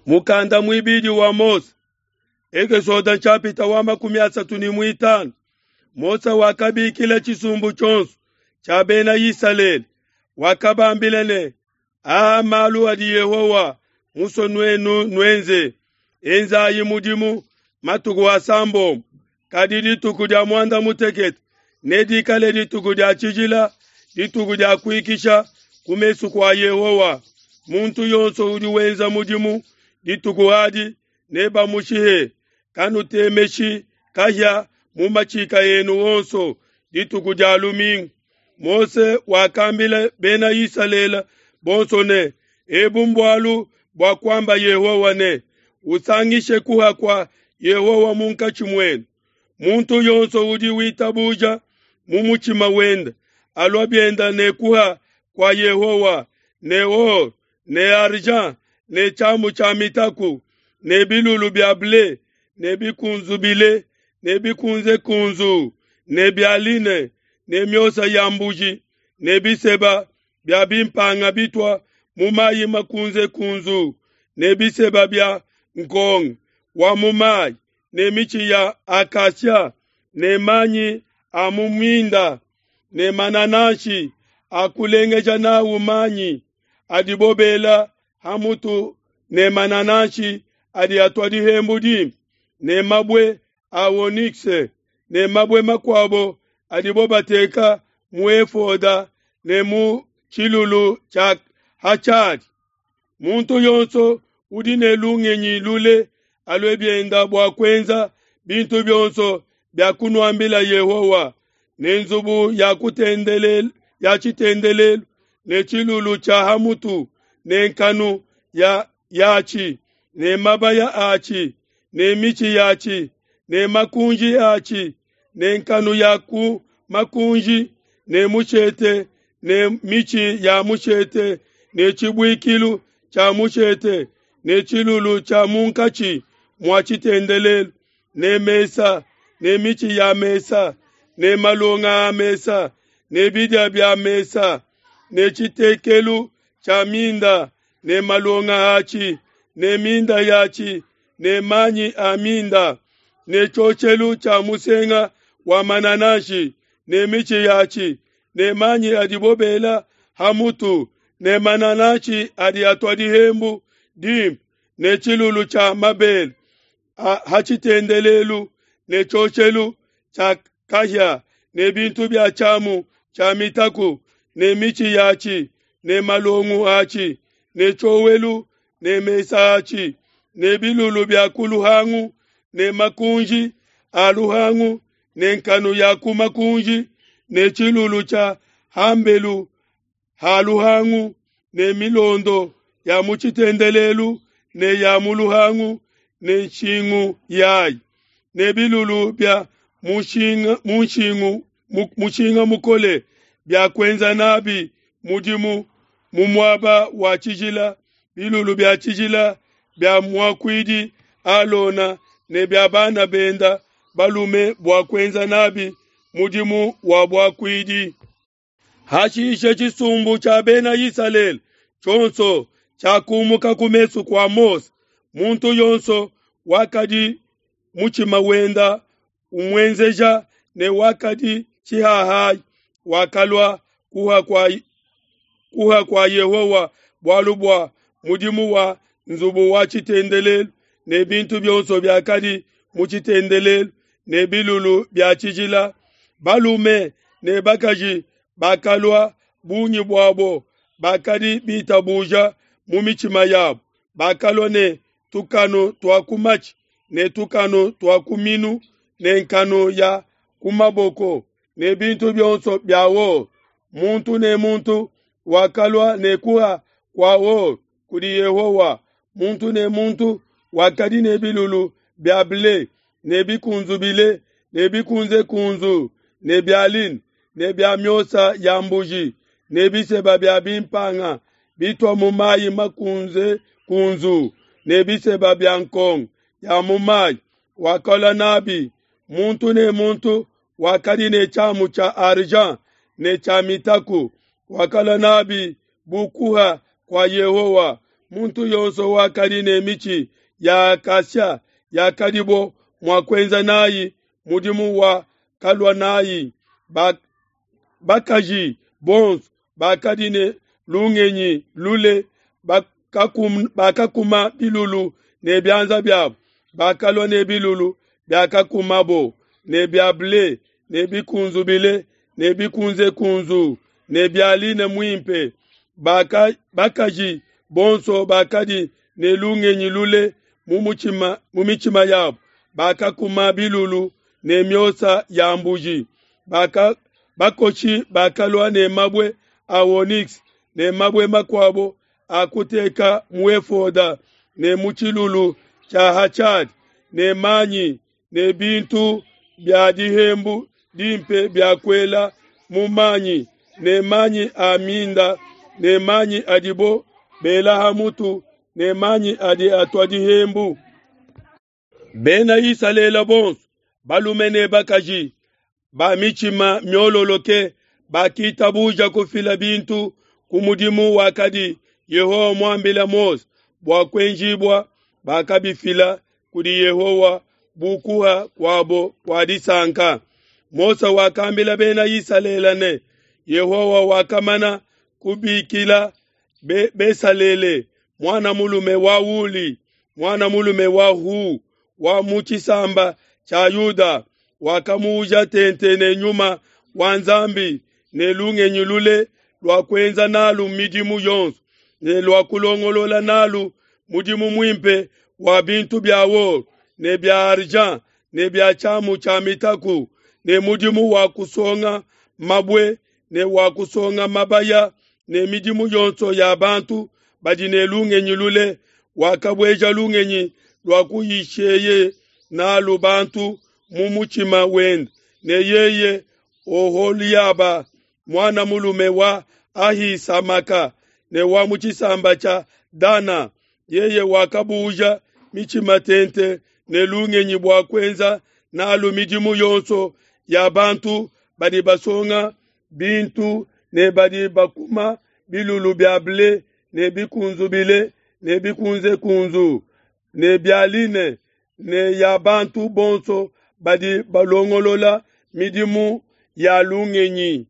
Mukanda muibidi wa Mose, Ekesode nshapita wa 35. Mose wakabikila tshisumbu tshionso tshia bena Isalele, wakabambila ne: Aa malu adi Yehowa musue nuenu nuenze. Enzayi mudimu matuku asambombo, kadi dituku dia muanda mutekete nedikale dituku dia tshijila, dituku dia kuikisha ku mesu kua Yehowa. Muntu yonso udi wenza mudimu dituku adi nebamushihe. Kanutemeshi kahia mu matshika enu onso dituku dia lumingu. Mose wakambila bena Isalele bonso ne, ebu mbualu bua kuamba Yehowa ne, usangishe kuha kua Yehowa munkatshi muenu. Muntu yonso udi witabuja mu mutshima wende alua bienda ne kuha kua Yehowa ne or ne argent ne tshiamu tshia mitaku ne bilulu bia ble ne bikunzubile ne bikunzekunzu ne bia line ne miosa ya mbuji ne biseba bia bimpanga bitua mu mayi makunzekunzu ne biseba bia nkonga wa mu mayi ne mitshi ya akasia ne manyi a mu minda ne manananshi a kulengeja nawu manyi adibo bela ha mutu ne manananshi adi atua dihembu dimpe ne mabue a onyx ne mabue makuabo adibo bateka mu efoda ne mu tshilulu tshia hatshadi. Muntu yonso udi ne lungenyi lule alue bienda bua kuenza bintu bionso bia kunuambila Yehowa, ne nzubu ya kutendelelu ya tshitendelelu ne tshilulu tshia hamutu ne nkanu ya yatshi ne mabaya atshi ne mitshi yatshi ne makunji atshi ne nkanu ya ku makunji ne mushete ne mitshi ya mushete ne tshibuikilu tshia mushete ne tshilulu tshia munkatshi mua tshitendelelu ne mesa ne mitshi ya mesa ne malonga a mesa ne bidia bia mesa ne tshitekelu tshia minda ne malonga atshi ne minda yatshi ne manyi a minda ne tshioshelu tshia musenga wa manananshi ne mitshi yatshi ne manyi adibo bela ha mutu ne manananshi adi atua dihembu dimpe ne tshilulu tshia mabele ha tshitendelelu ne tshioshelu tshia kahia ne bintu bia tshiamu tshia mitaku ne mitshi yatshi ne malongu atshi ne tshiowelu ne mesa atshi ne bilulu bia ku luhangu ne makunji a luhangu ne nkanu ya ku makunji ne tshilulu tshia hambelu ha luhangu ne milondo ya mu tshitendelelu ne ya mu luhangu ne nshingu yayi ne bilulu bia mushinga mushingu mushinga mukole bia kuenza nabi mudimu mu muaba wa tshijila, bilulu bia tshijila bia muakuidi Alona ne bia bana benda balume bua kuenza nabi mudimu wa buakuidi. Hashishe tshisumbu tshia bena Isalele tshionso tshiakumuka ku mesu kua Mose, muntu yonso wakadi mutshima wenda umuenzeja ne wakadi tshihahai wakalua kuha kua Yehowa bualu bua mudimu wa nzubu wa tshitendelelu ne bintu bionso biakadi mu tshitendelelu ne bilulu bia tshijila. Balume ne bakaji bakalua bungi buabo bakadi bitabuja mu mitshima yabo, bakalua ne tukanu tua ku matshi ne tukanu tua ku minu ne nkanu ya ku maboko ne bintu bionso bia or. Muntu ne muntu wakalua ne kuha kua or kudi Yehowa. Muntu ne muntu wakadi ne bilulu bia ble ne bikunzubile ne bikunzekunzu ne bia line ne bia miosa ya mbuji ne biseba bia bimpanga bitua mu mayi makunze kunzu ne biseba bia nkonga ya mu mayi wakalua nabi. Muntu ne muntu wakadi ne tshiamu tshia argent ne tshia mitaku wakalua nabi bu kuha kua Yehowa. Muntu yonso wakadi ne mitshi ya acacia yakadibo mua kuenza nayi mudimu wakalua nayi. Bakaji bonso bakadi ne lungenyi lule bakakuma bilulu ne bianza biabo, bakalua ne bilulu biakakumabo ne bia ble ne bikunzubile ne bikunzekunzu ne bia line muimpe. Bakaji bonso bakadi ne lungenyi lule mu mitshima yabo, bakakuma bilulu ne miosa ya mbuji. Bakoshi bakalua ne mabue a onyx ne mabue makuabo a kuteka mu efoda ne mu tshilulu tshia hachad ne manyi ne bintu bia dihembu dimpe bia kuela mu manyi ne manyi a minda ne manyi adibo bela ha mutu ne manyi adi atua dihembu. Bena Isalele bonso, balume ne bakaji, ba mitshima miololoke bakitabuja kufila bintu ku mudimu wakadi Yehowa muambile Mose bua kuenjibua, bakabifila kudi Yehowa bu kuha kuabo kua disanka. Mose wakambila Bena Isalele ne, Yehowa wakamana kubikila Besalele muana mulume wa Uli, muana mulume wa Hu, wa mu tshisamba tshia Yuda, wakamuuja tente ne nyuma wa Nzambi ne lungenyi lule lua kuenza nalu midimu yonso ne lua kulongolola nalu mudimu muimpe wa bintu bia or ne bia argent ne bia tshiamu tshia mitaku ne mudimu wa kusonga mabue ne wa kusonga mabaya ne midimu yonso ya bantu badi ne lungenyi lule. Wakabueja lungenyi lua kuyisheye nalu bantu mu mutshima wende, ne yeye Oholiaba muana mulume wa Ahisamaka ne wa mu tshisamba tshia Dana, yeye wakabuuja mitshima tente ne lungenyi bua kuenza nalu midimu yonso ya bantu badi basonga bintu ne badi bakuma bilulu bia ble ne bikunzubile ne bikunzekunzu ne bia line ne ya bantu bonso badi balongolola midimu ya lungenyi.